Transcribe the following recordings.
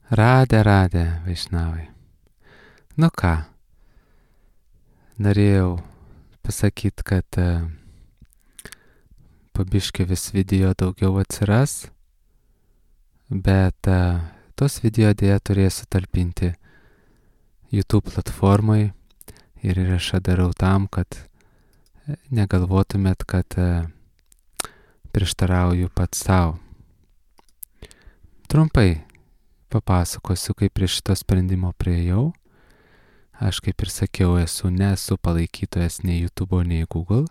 Radė, Vaišnavai. Nu ką, norėjau pasakyti, kad po biškį vis video daugiau atsiras, bet tos video dėja turėsiu talpinti YouTube platformai ir įrašą darau tam, kad negalvotumėt, kad prieštarauju pats savo. Trumpai papasakosiu, kaip prie šito sprendimo priejau. Aš, kaip ir sakiau, nesu palaikytojas nei YouTube, nei Google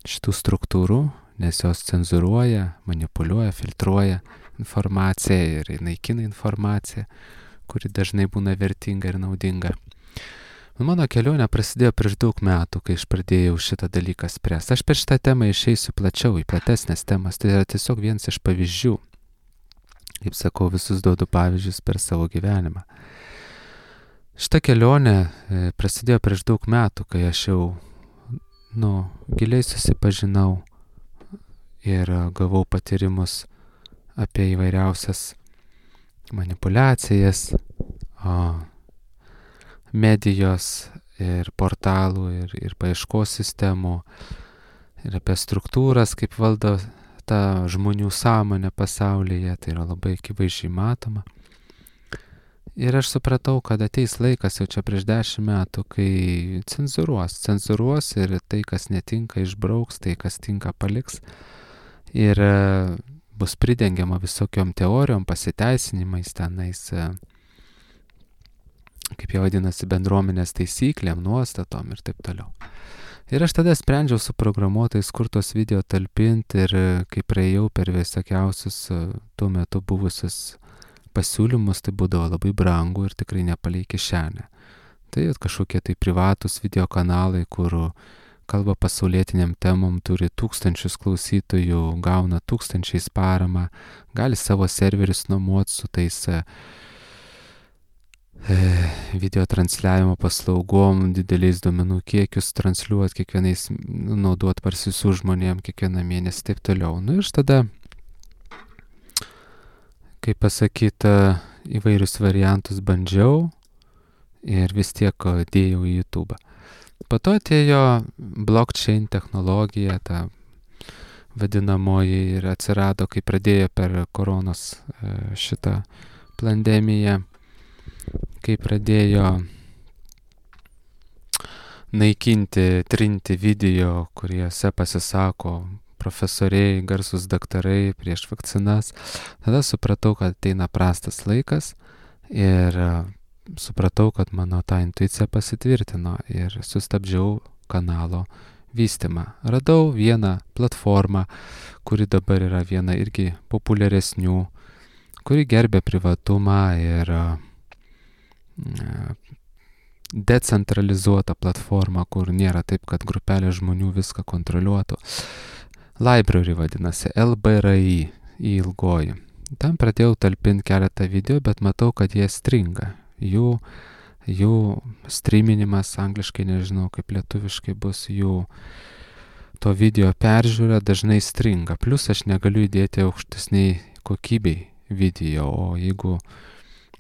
šitų struktūrų, nes jos cenzuruoja, manipuliuoja, filtruoja informaciją ir naikina informaciją, kuri dažnai būna vertinga ir naudinga. Mano kelionė prasidėjo prieš daug metų, kai aš pradėjau šitą dalyką spręsti. Aš per šitą temą išeisiu plačiau, į platesnės temas. Tai yra tiesiog vienas iš pavyzdžių. Kaip sakau, visus duodu pavyzdžius per savo gyvenimą. Šitą kelionę prasidėjo prieš daug metų, kai aš jau giliai susipažinau ir gavau patyrimus apie įvairiausias manipulacijas, medijos ir portalų ir paieškos sistemų ir apie struktūras, kaip valdo tą žmonių sąmonę pasaulyje, tai yra labai akivaizdžiai matoma. Ir aš supratau, kad ateis laikas jau čia prieš 10 metų, kai cenzuruos ir tai, kas netinka, išbrauks, tai, kas tinka, paliks. Ir bus pridengiama visokiom teorijom, pasiteisinimais tenais, kaip jie vadinasi, bendruomenės taisyklėm, nuostatom ir taip toliau. Ir aš tada sprendžiau su programuotojais, kur tos video talpinti ir kai praėjau per visokiausius tuo metu buvusius pasiūlymus, tai būdavo labai brangu ir tikrai nepalei kišenę. Tai kažkokie tai privatus video kanalai, kur kalba pasaulietiniam temom, turi tūkstančius klausytojų, gauna tūkstančiais paramą, gali savo serverius nuomoti su tais video transliavimo paslaugom, dideliais duomenų kiekius transliuoti, kiekvienais naudoti parsisių žmonėm kiekvieną mėnesį, taip toliau. Ir tada, kaip pasakyta, įvairius variantus bandžiau ir vis tiek dėjau į YouTube. Po to atėjo blockchain technologija, ta vadinamoji, ir atsirado, kai pradėjo per koronos šitą pandemiją, kai pradėjo naikinti, trinti video, kuriuose pasisako profesoriai, garsus daktarai prieš vakcinas. Tada supratau, kad ateina prastas laikas ir supratau, kad mano ta intuicija pasitvirtino ir sustabdžiau kanalo vystymą. Radau vieną platformą, kuri dabar yra viena irgi populiaresnių, kuri gerbė privatumą ir decentralizuota platforma, kur nėra taip, kad grupelė žmonių viską kontroliuotų. Library vadinasi, LBRI ilgoji. Tam pradėjau talpinti keletą video, bet matau, kad jie stringa. Jų streaminimas, angliškai nežinau, kaip lietuviškai bus, jų to video peržiūra dažnai stringa. Plus aš negaliu įdėti aukštesniai kokybei video, o jeigu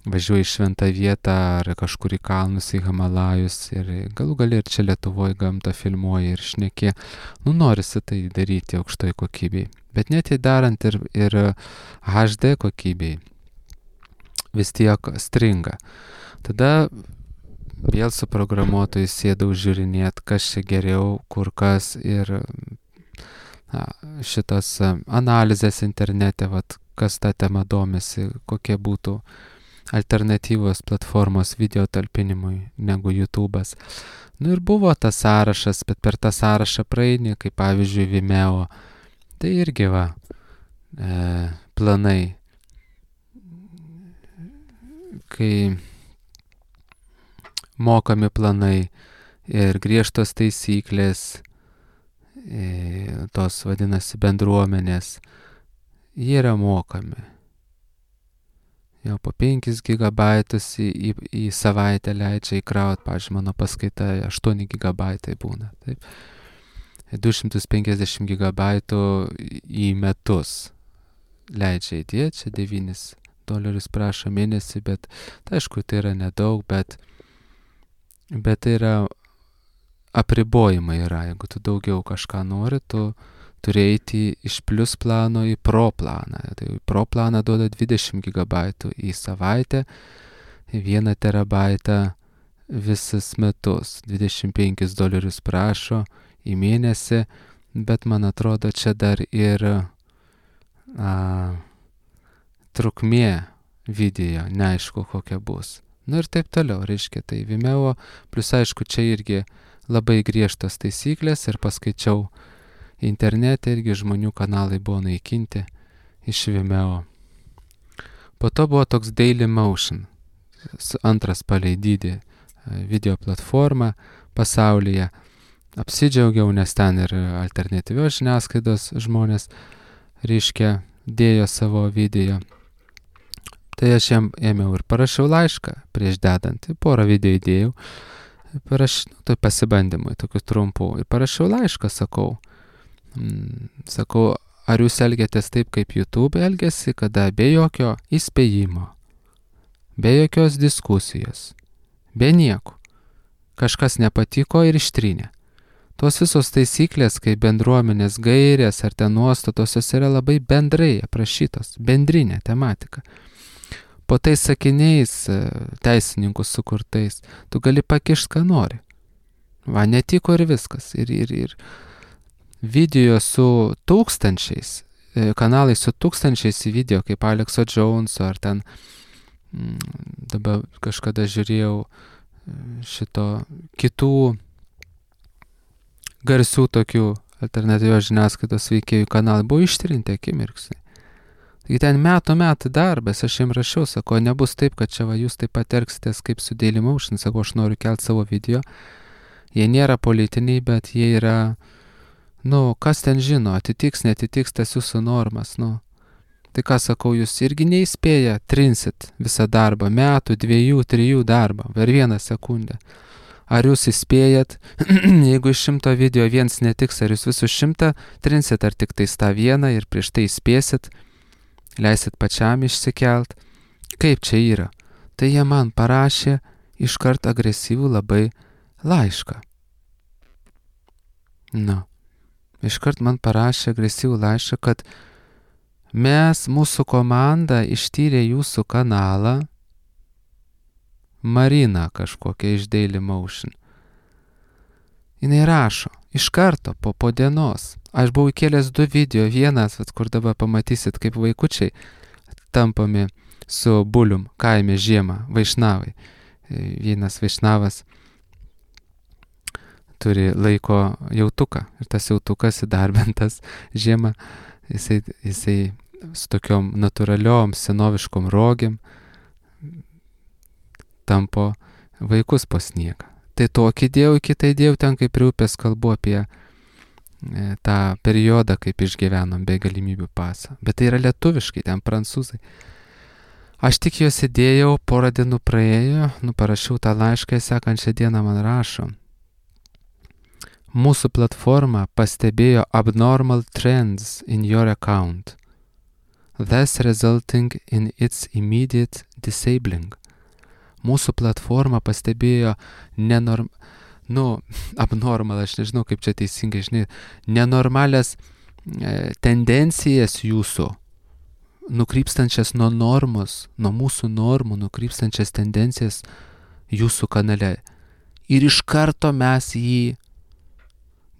važiuoji į šventą vietą ar kažkur į kalnus, į Himalajus ir galų gali ir čia Lietuvoje gamtą filmuoji ir šneki, norisi tai daryti aukštoj kokybei. Bet net įdarant ir HD kokybei, vis tiek stringa. Tada vėl su programuotojai sėdau žiūrinėti, kas čia geriau, kur kas ir šitas analizės internete, kas tą temą domisi, kokie būtų alternatyvos platformos video talpinimui negu YouTube'as. Ir buvo tas sąrašas, bet per tą sąrašą praeini, kaip pavyzdžiui Vimeo. Tai irgi planai, kai mokami planai ir griežtos taisyklės, tos vadinasi bendruomenės, jie yra mokami. Jau po 5 gigabaitus į savaitę leidžia įkrauti, pavyzdžiui, mano paskaita 8 gigabaitai būna. Taip. 250 gigabaitų į metus leidžia įdėti, čia dolerius prašo mėnesį, bet tai aišku, tai yra nedaug, bet tai yra apribojimai yra. Jeigu tu daugiau kažką nori, tu turi eiti iš plus plano į pro planą. Tai pro planą duoda 20 gigabaitų į savaitę, 1 terabaitą visus metus. 25 dolerius prašo į mėnesį, bet man atrodo, čia dar ir trukmė video, neaišku kokia bus. Ir taip toliau, reiškia, tai Vimeo, plus aišku, čia irgi labai griežtas taisyklės ir paskaičiau internete, irgi žmonių kanalai buvo naikinti iš Vimeo. Po to buvo toks Dailymotion, antras palei dydį video platforma pasaulyje. Apsidžiaugiau, nes ten ir alternatyvios žiniasklaidos žmonės, reiškia, dėjo savo video. Tai aš jam ėmiau ir parašiau laišką prieš dedant, porą video įdėjau, tai pasibandymui, tokių trumpų, ir parašiau laišką, sakau, ar jūs elgiatės taip, kaip YouTube elgiasi, kada be jokio įspėjimo, be jokios diskusijos, be nieko, kažkas nepatiko ir ištrynė. Tos visos taisyklės, kaip bendruomenės gairės ar ten nuostatos, jos yra labai bendrai aprašytos, bendrinė tematika. Po tais sakiniais teisininkų sukurtais, tu gali pakišti, ką nori. Va, netiko ir viskas. Ir video su tūkstančiais, kanalai su tūkstančiais video, kaip Alexo Joneso, ar ten dabar kažkada žiūrėjau šito kitų garsių tokių alternatyvios žiniasklaidos veikėjų kanalai buvo ištrinti akimirksniai. Taigi ten metų darbas, aš jiems rašiau, sako, nebus taip, kad čia va jūs taip pat elgsitės kaip su Dailymotion, sako, aš noriu kelti savo video. Jie nėra politiniai, bet jie yra, kas ten žino, atitiks, netitiks tas jūsų normas, Tai ką sakau, jūs irgi neįspėję, trinsit visą darbą, metų, 2, 3 darbą, per 1 sekundę. Ar jūs įspėjat, jeigu iš 100 video vienas netiks, ar jūs visus 100 trinsit, ar tik tais tą vieną ir prieš tai įspėsit, leisit pačiam išsikelt. Kaip čia yra? Tai jie man parašė iškart agresyvų labai laišką. Iškart man parašė agresyvų laišką, kad mūsų komanda ištyrė jūsų kanalą, Marina kažkokia iš Dailymotion. Jinai rašo, iš karto po dienos. Aš buvau įkėlęs 2 video, vienas, kur dabar pamatysit, kaip vaikučiai tampami su bulium kaime žiemą, vaišnavai. Vienas vaišnavas turi laiko jautuką ir tas jautukas įdarbintas žiemą, jisai su tokiom natūraliom senoviškom rogėm tampo vaikus po sniegą. Tai tokį dėjau, kitą įdėjau ten, kaip prie upės kalbu apie tą periodą, kaip išgyvenom be galimybių pasą. Bet tai yra lietuviškai, ten prancūzai. Aš tik juos įdėjau, porą dienų praėjo, parašiau tą laišką, sekančią dieną man rašo. Mūsų platforma pastebėjo abnormal trends in your account, thus resulting in its immediate disabling. Mūsų platforma pastebėjo abnormal, aš nežinau kaip čia teisingai, nenormalias tendencijas jūsų, nukrypstančias nuo normos, nuo mūsų normų, nukrypstančias tendencijas jūsų kanale. Ir iš karto mes jį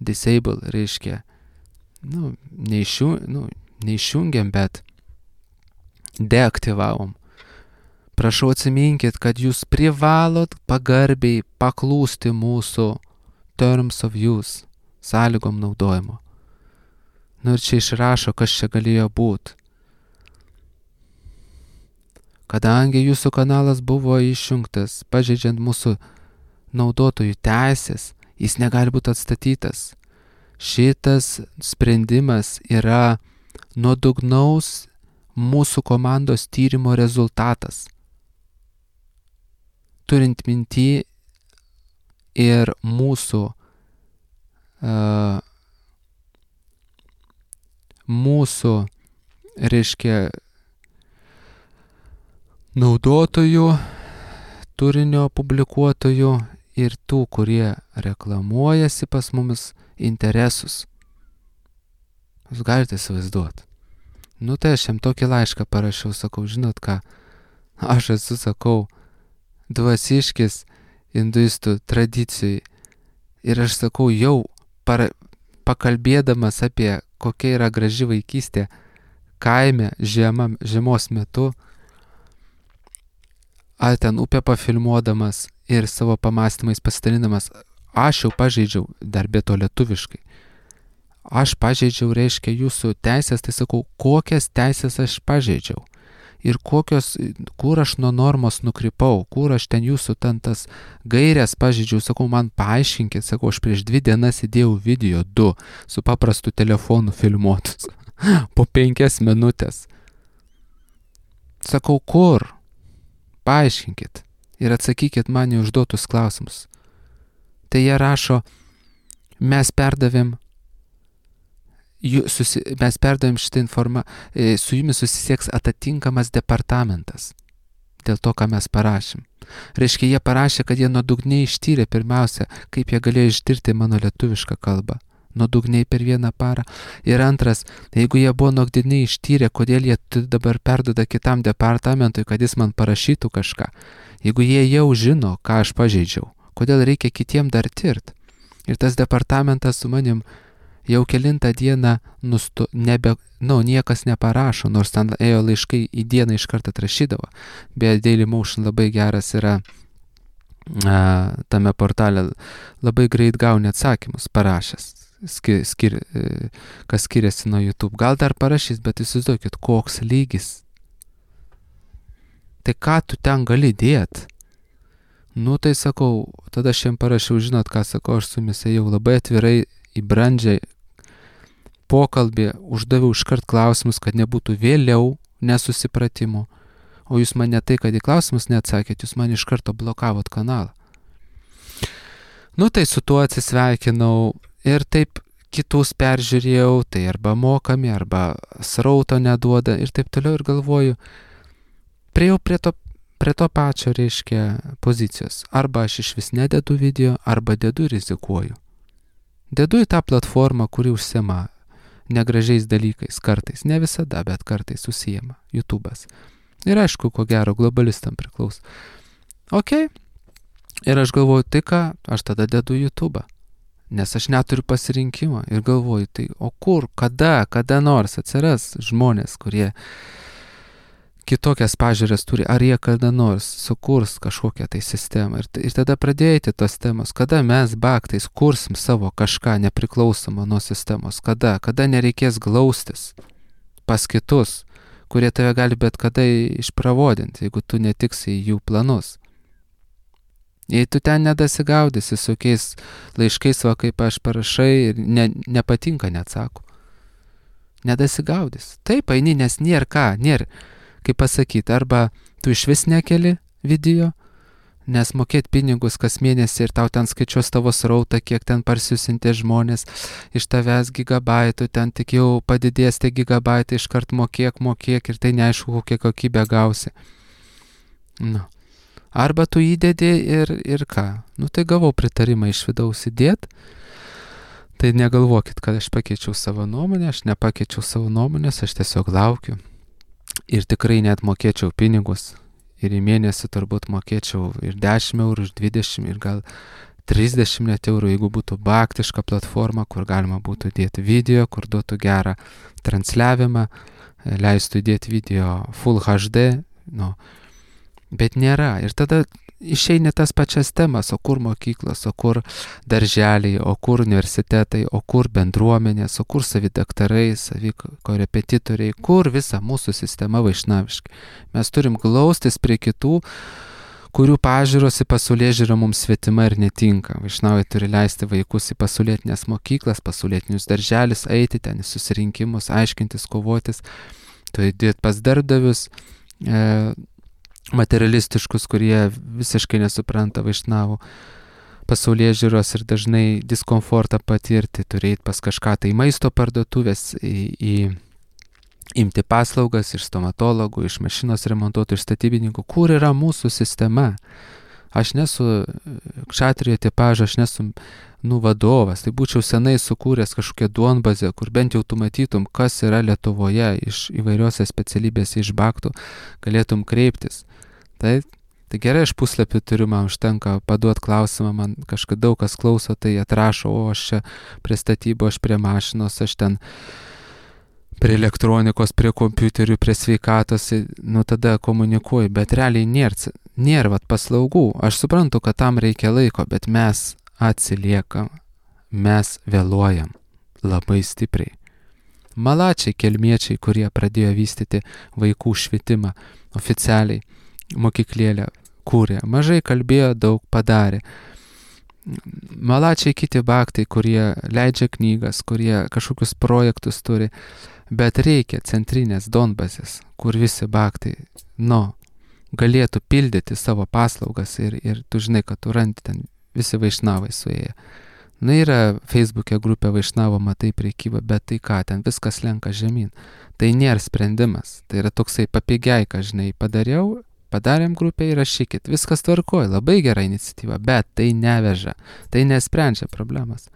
disable, reiškia, neišjungiam, bet deaktyvavom. Prašau atsiminkit, kad jūs privalot pagarbiai paklūsti mūsų terms of use, sąlygom naudojimo. Ir čia išrašo, kas čia galėjo būti. Kadangi jūsų kanalas buvo išjungtas, pažeidžiant mūsų naudotojų teisės, jis negali būti atstatytas. Šitas sprendimas yra nuodugnaus mūsų komandos tyrimo rezultatas. Turint minty ir mūsų reiškia naudotojų, turinio publikuotojų ir tų, kurie reklamuojasi pas mumis interesus. Jūs galite įsivaizduoti. Nu tai aš jam tokį laišką parašiau, sakau, žinot ką, aš esu, sakau, dvasiškis hinduistų tradicijai ir aš sakau, jau pakalbėdamas apie kokia yra graži vaikystė kaime žiemos metu, ar ten upę pafilmuodamas ir savo pamastymais pasidalinamas, aš jau pažeidžiau, dar be to lietuviškai. Aš pažeidžiau, reiškia, jūsų teisės, tai sakau, kokias teisės aš pažeidžiau. Ir kur aš nuo normos nukrypau, kur aš ten jūsų tas gairias pažeidžiau, sakau, man paaiškinkit, sakau, aš prieš 2 dienas įdėjau video 2 su paprastu telefonu filmuotus po 5 minutės. Sakau, kur? Paaiškinkit ir atsakykit man į užduotus klausimus. Tai jie rašo, mes perdavėm šitą informaciją, su jumis susisieks atitinkamas departamentas dėl to, ką mes parašėm. Reiškia, jie parašė, kad jie nuodugniai ištyrė pirmiausia, kaip jie galėjo ištirti mano lietuvišką kalbą. Nuodugniai per 1 parą. Ir antras, jeigu jie buvo nuodugniai ištyrę, kodėl jie dabar perduoda kitam departamentui, kad jis man parašytų kažką. Jeigu jie jau žino, ką aš pažeidžiau, kodėl reikia kitiem dar tirt. Ir tas departamentas su manim jau kelintą dieną niekas neparašo, nors ten ėjo laiškai į dieną iš karto atrašydavo. Beje, Dailymotion labai geras yra tame portale, labai greit gauni atsakymus parašęs, kas skiriasi nuo YouTube. Gal dar parašys, bet įsivaizduokit, koks lygis. Tai ką tu ten gali dėt? Nu tai sakau, tada aš jam parašiau, žinot ką, sakau, aš su jumis ėjau labai atvirai į brandžią pokalbį, uždaviau iškart klausimus, kad nebūtų vėliau nesusipratimų. O jūs man ne tai, kad į klausimus neatsakėt, jūs man iš karto blokavot kanalą. Nu tai su tuo atsisveikinau ir taip kitus peržiūrėjau, tai arba mokami, arba srauto neduoda ir taip toliau ir galvoju, priejau prie to pačio, reiškia, pozicijos. Arba aš iš vis nededu video, arba dedu ir rizikuoju. Dedu į tą platformą, kuri užsiema negražiais dalykais, kartais, ne visada, bet kartais užsiema YouTube'as. Ir aišku, ko gero, globalistam priklauso. Ok, ir aš galvoju, tai ką, aš tada dedu YouTube'ą, nes aš neturiu pasirinkimo ir galvoju, tai o kur, kada nors atsiras žmonės, kurie kitokias pažiūrės turi, ar jie kada nors sukurs kažkokią tai sistemą. Ir tada pradėti tos temos, kada mes baktais kursim savo kažką nepriklausomą nuo sistemos, kada nereikės glaustis pas kitus, kurie tave gali bet kada išpravodinti, jeigu tu netiksi į jų planus. Jei tu ten nedasigaudysi su kokiais laiškais, va kaip aš parašai ir nepatinka, neatsako. Nedasigaudys. Taip, eini, nes nėra ką, kaip pasakyti, arba tu iš vis nekeli video, nes mokėt pinigus kas mėnesį ir tau ten skaičiuos tavo srautą, kiek ten parsiusinti žmonės, iš tavęs gigabaitų, ten tik jau padidės tie gigabaitai, iškart mokėk ir tai neaišku, kokią kokybę gausi. Nu. Arba tu įdedi ir ką? Nu tai gavau pritarimą iš vidaus įdėt, tai negalvokit, kad aš pakeičiau savo nuomonę, aš nepakeičiau savo nuomonės, aš tiesiog laukiu. Ir tikrai net mokėčiau pinigus. Ir į mėnesį turbūt mokėčiau ir 10 eurų, ir 20, ir gal 30 net eurų, jeigu būtų baktiška platforma, kur galima būtų dėti video, kur duotų gerą transliavimą, leistų įdėti video Full HD, nu. Bet nėra. Ir tada išeina tas pačias temas, o kur mokyklos, o kur darželiai, o kur universitetai, o kur bendruomenės, o kur savidaktarai, savikorepetitoriai, kur visa mūsų sistema vaišnaviška. Mes turim glaustis prie kitų, kurių pažiūros į pasaulėžiūrą mums svetima ir netinka. Vaišnavai turi leisti vaikus į pasaulietinės mokyklas, pasaulietinius darželis, eiti ten į susirinkimus, aiškintis, kovotis, turi dėti pas darbdavius, materialistiškus, kurie visiškai nesupranta vaišnavų pasaulėžiūros ir dažnai diskomfortą patirti, turėti pas kažką tai maisto parduotuvės, į imti paslaugas iš stomatologų, iš mašinos remontuotojų, iš statybininkų. Kur yra mūsų sistema? Aš nesu kšatrijo tipažo, aš nesu vadovas. Tai būčiau senai sukūręs kažkokią duonbazę, kur bent jau tu matytum, kas yra Lietuvoje iš įvairiose specialybėse iš baktų, galėtum kreiptis. Tai gerai, aš puslapį turiu, man užtenka paduot klausimą, man kažkaip daug kas klauso, tai atrašo, o aš čia prie statybo, aš prie mašinos, aš ten prie elektronikos, prie kompiuterių, prie sveikatos, tada komunikuoju, bet realiai nėra paslaugų. Aš suprantu, kad tam reikia laiko, bet mes atsiliekam, mes vėluojam labai stipriai. Malačiai, kelmiečiai, kurie pradėjo vystyti vaikų švietimą oficialiai, mokyklėlę kūrė, mažai kalbėjo, daug padarė. Malačiai kiti baktai, kurie leidžia knygas, kurie kažkokius projektus turi, bet reikia centrinės donbazės, kur visi baktai, galėtų pildyti savo paslaugas ir tu žinai, kad tu randi ten visi vaišnavai suėję. Yra Facebook'e grupė vaišnavo, matai prekybą, bet tai ką, ten viskas lenka žemyn. Tai nėra sprendimas, tai yra toksai papigiai, ką žinai, padarėm grupę, įrašykit, viskas tvarkoja, labai gera iniciatyva, bet tai neveža, tai nesprendžia problemas.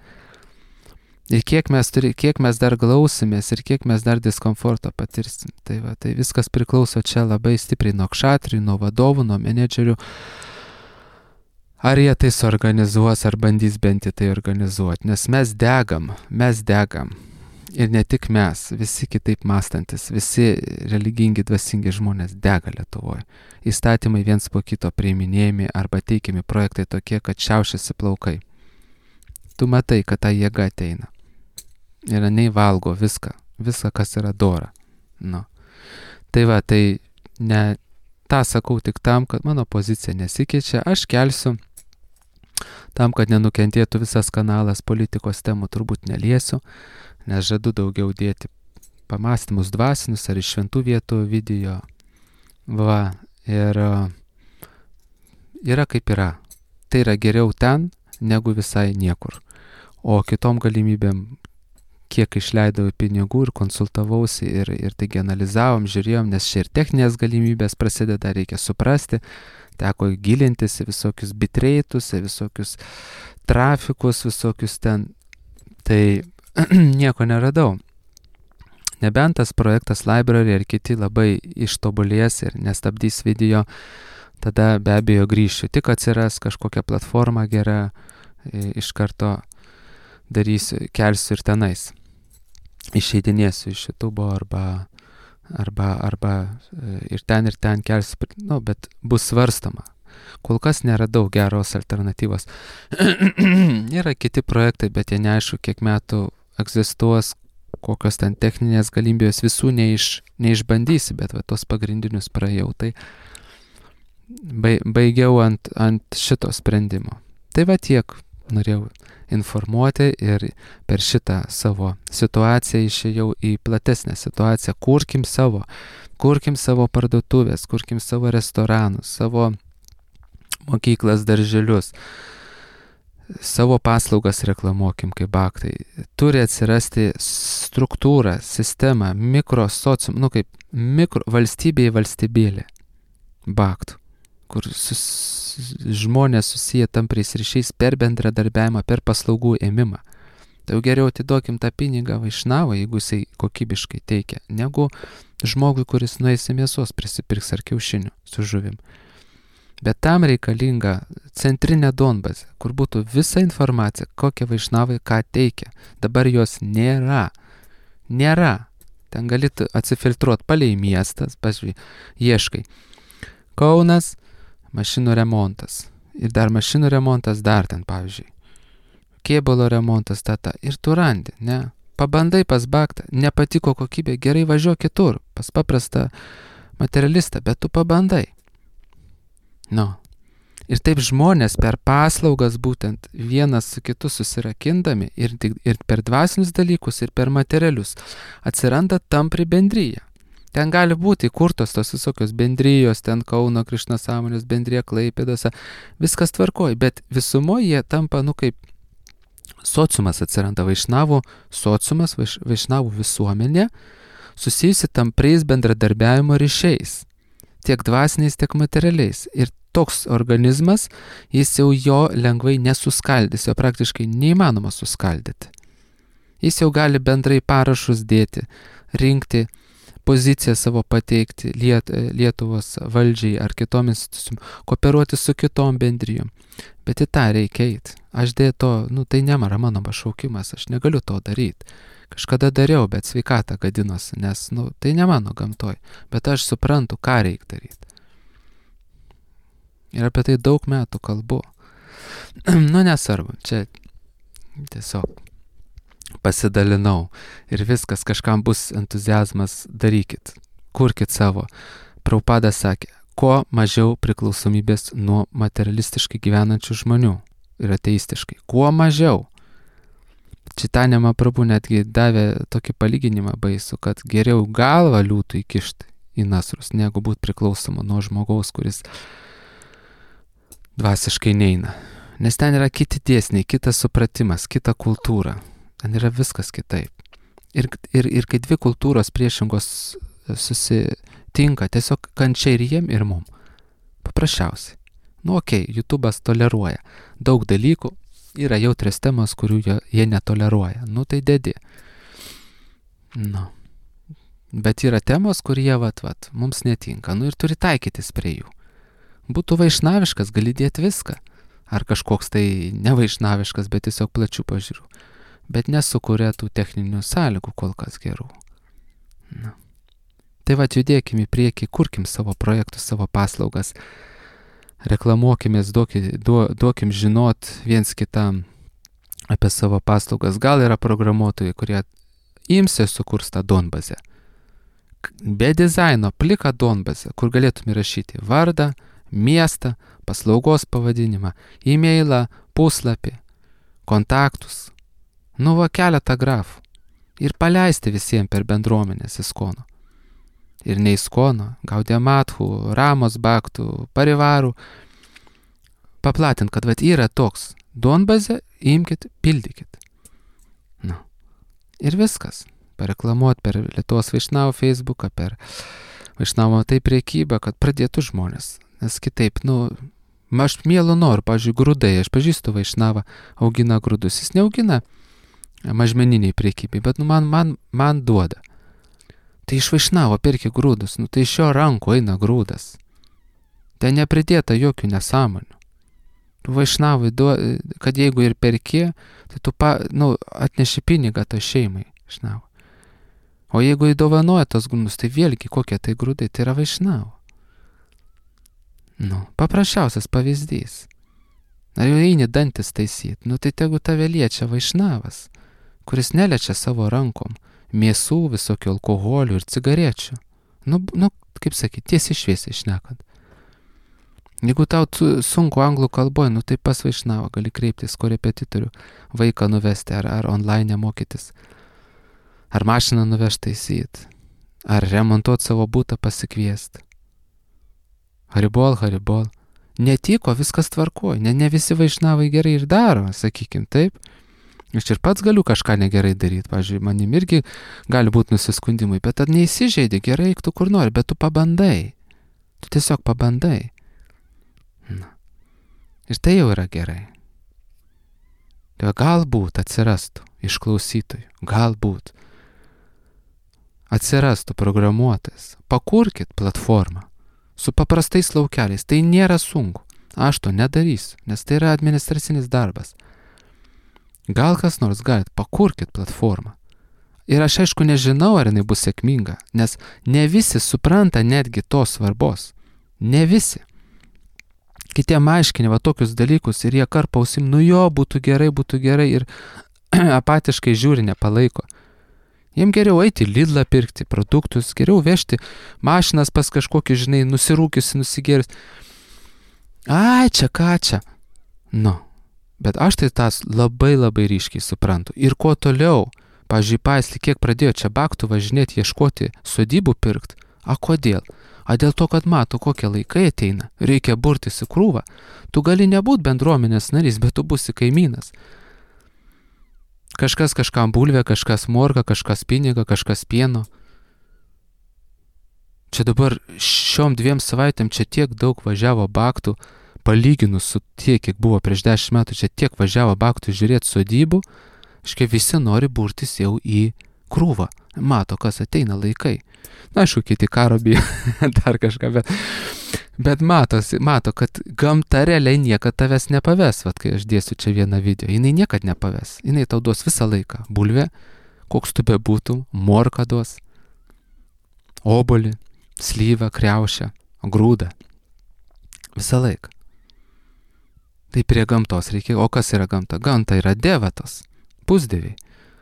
Ir kiek mes dar glausimės ir kiek mes dar diskomforto patirsim. Tai viskas priklauso čia labai stipriai nuo kšatrių, nuo vadovų, nuo menedžerių. Ar jie tai suorganizuos, ar bandys bent tai organizuoti, nes mes degam. Ir ne tik mes, visi kitaip mąstantis, visi religingi, dvasingi žmonės dega Lietuvoje. Įstatymai viens po kito priiminėjami arba teikiami projektai tokie, kad šiaušiasi plaukai. Tu matai, kad ta jėga ateina. Ir nei valgo viską, kas yra dora. Tai ne tą sakau tik tam, kad mano pozicija nesikeičia, aš kelsiu tam, kad nenukentėtų visas kanalas, politikos temų turbūt neliesiu, nes žadu daugiau dėti pamąstymus dvasinius ar iš šventų vietų video. Ir yra kaip yra. Tai yra geriau ten, negu visai niekur. O kitom galimybėm, kiek išleidau pinigų ir konsultavausi ir taigi analizavom, žiūrėjom, nes čia ir techninės galimybės prasideda, reikia suprasti, teko gilintis į visokius bitreitus, į visokius trafikus, visokius ten, tai nieko neradau. Nebent tas projektas Library ir kiti labai ištobulės ir nestabdys video, tada be abejo grįšiu. Tik atsiras kažkokia platforma gera, iš karto darysiu, kelsiu ir tenais. Išeidinėsiu iš YouTube arba ir ten kelsiu, bet bus svarstama. Kol kas neradau geros alternatyvos. Yra kiti projektai, bet jie neaišku, kiek metų egzistuos, kokios ten techninės galimybės, visų neišbandysi, bet tos pagrindinius praėjau. Tai baigiau ant šito sprendimo. Tai tiek norėjau informuoti ir per šitą savo situaciją išėjau į platesnę situaciją. Kurkim savo parduotuvės, kurkim savo restoranus, savo mokyklas, darželius, savo paslaugas reklamuokim kaip baktai. Turi atsirasti struktūra, sistema, mikrosocium, kaip valstybėlė baktų, kur žmonės susiję tampriais ryšiais per bendradarbiavimą, per paslaugų ėmimą. Tai geriau atiduokim tą pinigą vaišnavui, jeigu jisai kokybiškai teikia, negu žmogui, kuris nueis į mėsos, prisipirks ar kiaušinių su žuvim. Bet tam reikalinga centrinė donbazė, kur būtų visa informacija, kokia vaišnavai ką teikia. Dabar jos nėra. Ten gali atsifiltruoti palei miestas, ieškai. Kaunas, mašinų remontas. Ir dar mašinų remontas dar ten, pavyzdžiui. Kėbulo remontas, ir tu randi, ne? Pabandai pas baktą, nepatiko kokybė, gerai važiuok kitur, pas paprastą materialistą, bet tu pabandai. Ir taip žmonės per paslaugas būtent vienas su kitu susirakindami ir per dvasinius dalykus, ir per materialius atsiranda tampri bendryja. Ten gali būti įkurtos tos visokios bendrijos, ten Kauno Krišnos sąmonės bendrija Klaipėdose, viskas tvarkoja, bet visumoje jie tampa, kaip sociumas atsiranda, vaišnavų sociumas, vaišnavų visuomenė, susijusi tampriais bendradarbiavimo ryšiais, tiek dvasiniais, tiek materialiais. Ir toks organizmas, jis jau jo lengvai nesuskaldys, jo praktiškai neįmanoma suskaldyti. Jis jau gali bendrai parašus dėti, rinkti, poziciją savo pateikti Lietuvos valdžiai ar kitom institucijom, kooperuoti su kitom bendrijom. Bet į tą reikia eiti. Aš to, tai nėra mano pašaukimas, aš negaliu to daryti. Kažkada dariau, bet sveikata gadinosi, nes, tai ne mano gamtoj. Bet aš suprantu, ką reikia daryti. Ir apie tai daug metų kalbu. Nesvarbu, čia tiesiog pasidalinau ir viskas, kažkam bus entuziazmas, darykit, kurkit savo. Prabhupada sakė, kuo mažiau priklausomybės nuo materialistiškai gyvenančių žmonių ir ateistiškai. Kuo mažiau. Čitanja Mahaprabhu netgi davė tokį palyginimą baisų, kad geriau galvą liūtų įkišti į nasrus, negu būti priklausomu nuo žmogaus, kuris dvasiškai neina. Nes ten yra kiti dėsniai, kitas supratimas, kita kultūra. Ten yra viskas kitaip. Ir kai dvi kultūros priešingos susitinka, tiesiog kančia ir jiem, ir mum. Paprasčiausiai. YouTube'as toleruoja. Daug dalykų yra jautrios temos, kurių jie netoleruoja. Tai dedi. Bet yra temos, kur jie mums netinka. Ir turi taikytis prie jų. Būtų vaišnaviškas, gali dėti viską. Ar kažkoks tai nevaišnaviškas, bet tiesiog plačių pažiūrų. Bet nesukuria tų techninių sąlygų kol kas gerų. Tai judėkim į priekį, kurkim savo projektus, savo paslaugas, reklamuokimės, duokim žinot viens kitam apie savo paslaugas. Gal yra programuotojai, kurie imsi sukurs tą donbazę. Be dizaino, pliką donbazę, kur galėtum įrašyti vardą, miestą, paslaugos pavadinimą, e-mailą, puslapį, kontaktus. Keletą grafų. Ir paleisti visiems per bendruomenės Iskono. Ir ne Iskono, Gaudiya Mathų, Ramos Bhaktų, Parivarų. Paplatint, kad yra toks. Donbazę imkit, pildykit. Ir viskas. Pareklamuot per Lietuvos Vaišnavų Facebooką, per Vaišnavų priekybą, kad pradėtų žmonės. Nes kitaip, aš mielu noriu, pavyzdžiui, grūdai. Aš pažįstu Vaišnavą, augina grūdus. Jis neaugina mažmeniniai priekybai, bet man duoda. Tai iš Vaišnavo perki grūdus, tai iš jo rankų eina grūdas. Ten nepridėta jokių nesąmonių. Tu Vaišnavui, kad jeigu ir perki, tai tu atneši pinigą to šeimai. Vaišnavo. O jeigu įdovanoja tos grūdus, tai vėlgi kokie tai grūdai, tai yra Vaišnavo. Paprasčiausias pavyzdys. Ar jau eini dantis taisyti, tai tegu tave liečia Vaišnavas, kuris neliečia savo rankom mėsų, visokių alkoholių ir cigarečių. Kaip sakyti, tiesiai šviesiai šnekant. Jeigu tau sunku anglų kalboj, tai pas Vaišnavą gali kreiptis korepetitorių, vaiką nuvesti ar online mokytis. Ar mašiną nuvežti taisyti. Ar remontuoti savo butą pasikviesti. Haribol. Netiko, viskas tvarkoja. Ne visi Vaišnavai gerai ir daro, sakykim, taip. Aš ir pats galiu kažką negerai daryti. Pavyzdžiui, manim irgi gali būti nusiskundimai, bet tad neįsižeidi, gerai, tu kur nori, bet tu pabandai. Tu tiesiog pabandai. Ir tai jau yra gerai. Tai galbūt atsirastų iš klausytojų, galbūt atsirastų programuotojas. Pakurkit platformą su paprastais laukeliais. Tai nėra sunku. Aš to nedarysiu, nes tai yra administracinis darbas. Gal kas nors galit, pakurkit platformą. Ir aš aišku nežinau, ar jinai bus sėkminga, nes ne visi supranta netgi tos svarbos. Ne visi. Kitiem aiškini tokius dalykus ir jie karpa ausim, būtų gerai ir apatiškai žiūri, nepalaiko. Jiem geriau eiti Lidlą pirkti produktus, geriau vežti mašinas pas kažkokį, nusirūkiusi, nusigėris. Ai, čia ką čia. Bet aš tai tas labai ryškiai suprantu. Ir kuo toliau, pavyzdžiui, Paislį, kiek pradėjo čia Bhaktų važinėti, ieškoti sodybų pirkti. Kodėl? Dėl to, kad mato, kokie laikai ateina. Reikia burtis į krūvą. Tu gali nebūti bendruomenės narys, bet tu būsi kaimynas. Kažkas kažkam bulvę, kažkas morką, kažkas pinigą, kažkas pieno. čia dabar šiom 2 savaitėm čia tiek daug važiavo baktų, palyginus su tiek, kiek buvo prieš 10 metų, čia tiek važiavo baktų žiūrėti sodybų, aiškiai visi nori burtis jau į krūvą. Mato, kas ateina laikai. Na, aišku, kiti karo bijo, dar kažką, bet mato, kad gamta realiai niekad tavęs nepaves. Vat kai aš dėsiu čia vieną video, jinai niekad nepaves. Jinai tau duos visą laiką. Bulvė, koks tu bebūtum, morką duos, obolį, slyvą, kriaušę, grūdą. Visą laiką. Tai prie gamtos reikia. O kas yra gamta? Gamta yra devatos, pusdieviai.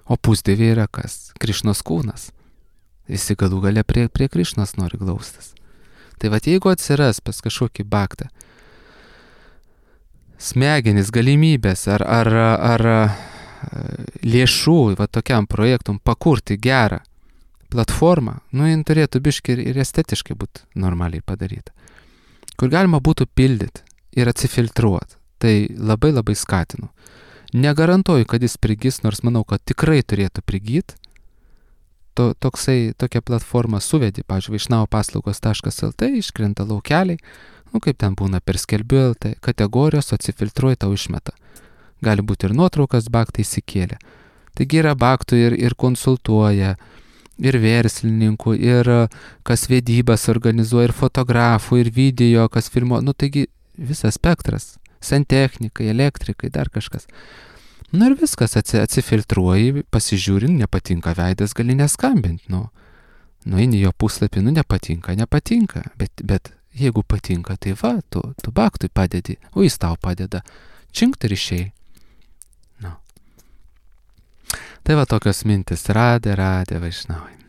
O pusdieviai yra kas? Krišnos kūnas. Visi galų gale prie Krišnos nori glaustis. Tai vat jeigu atsiras pas kažkokį baktą smegenis, galimybės ar lėšų va tokiam projektum pakurti gerą platformą, jin turėtų biškai ir estetiškai būti normaliai padaryta. Kur galima būtų pildyti ir atsifiltruoti. Tai labai labai skatinu. Negarantuoju, kad jis prigys, nors manau, kad tikrai turėtų prigyti. Tokią platformą suvedi, pavyzdžiui, vaišnavopaslaugos.lt, iškrenta laukeliai, kaip ten būna per skelbiu LT, kategorijos atsifiltruoja, tau išmeta. Gali būti ir nuotraukas baktai įsikėlė. Taigi yra baktų ir konsultuoja, ir verslininkų, ir kas vedybas organizuoja, ir fotografų, ir video, kas filmuoja, taigi visas spektras. Santechnikai, elektrikai, dar kažkas. Ir viskas atsifiltruoji, pasižiūri, nepatinka veidas, gali neskambinti. Eini jo puslapį, nepatinka, bet jeigu patinka, tai va, tu baktui padedi, o jis tau padeda. Činkt ir išėjai. Tai va tokios mintis, radė Vaišnavai.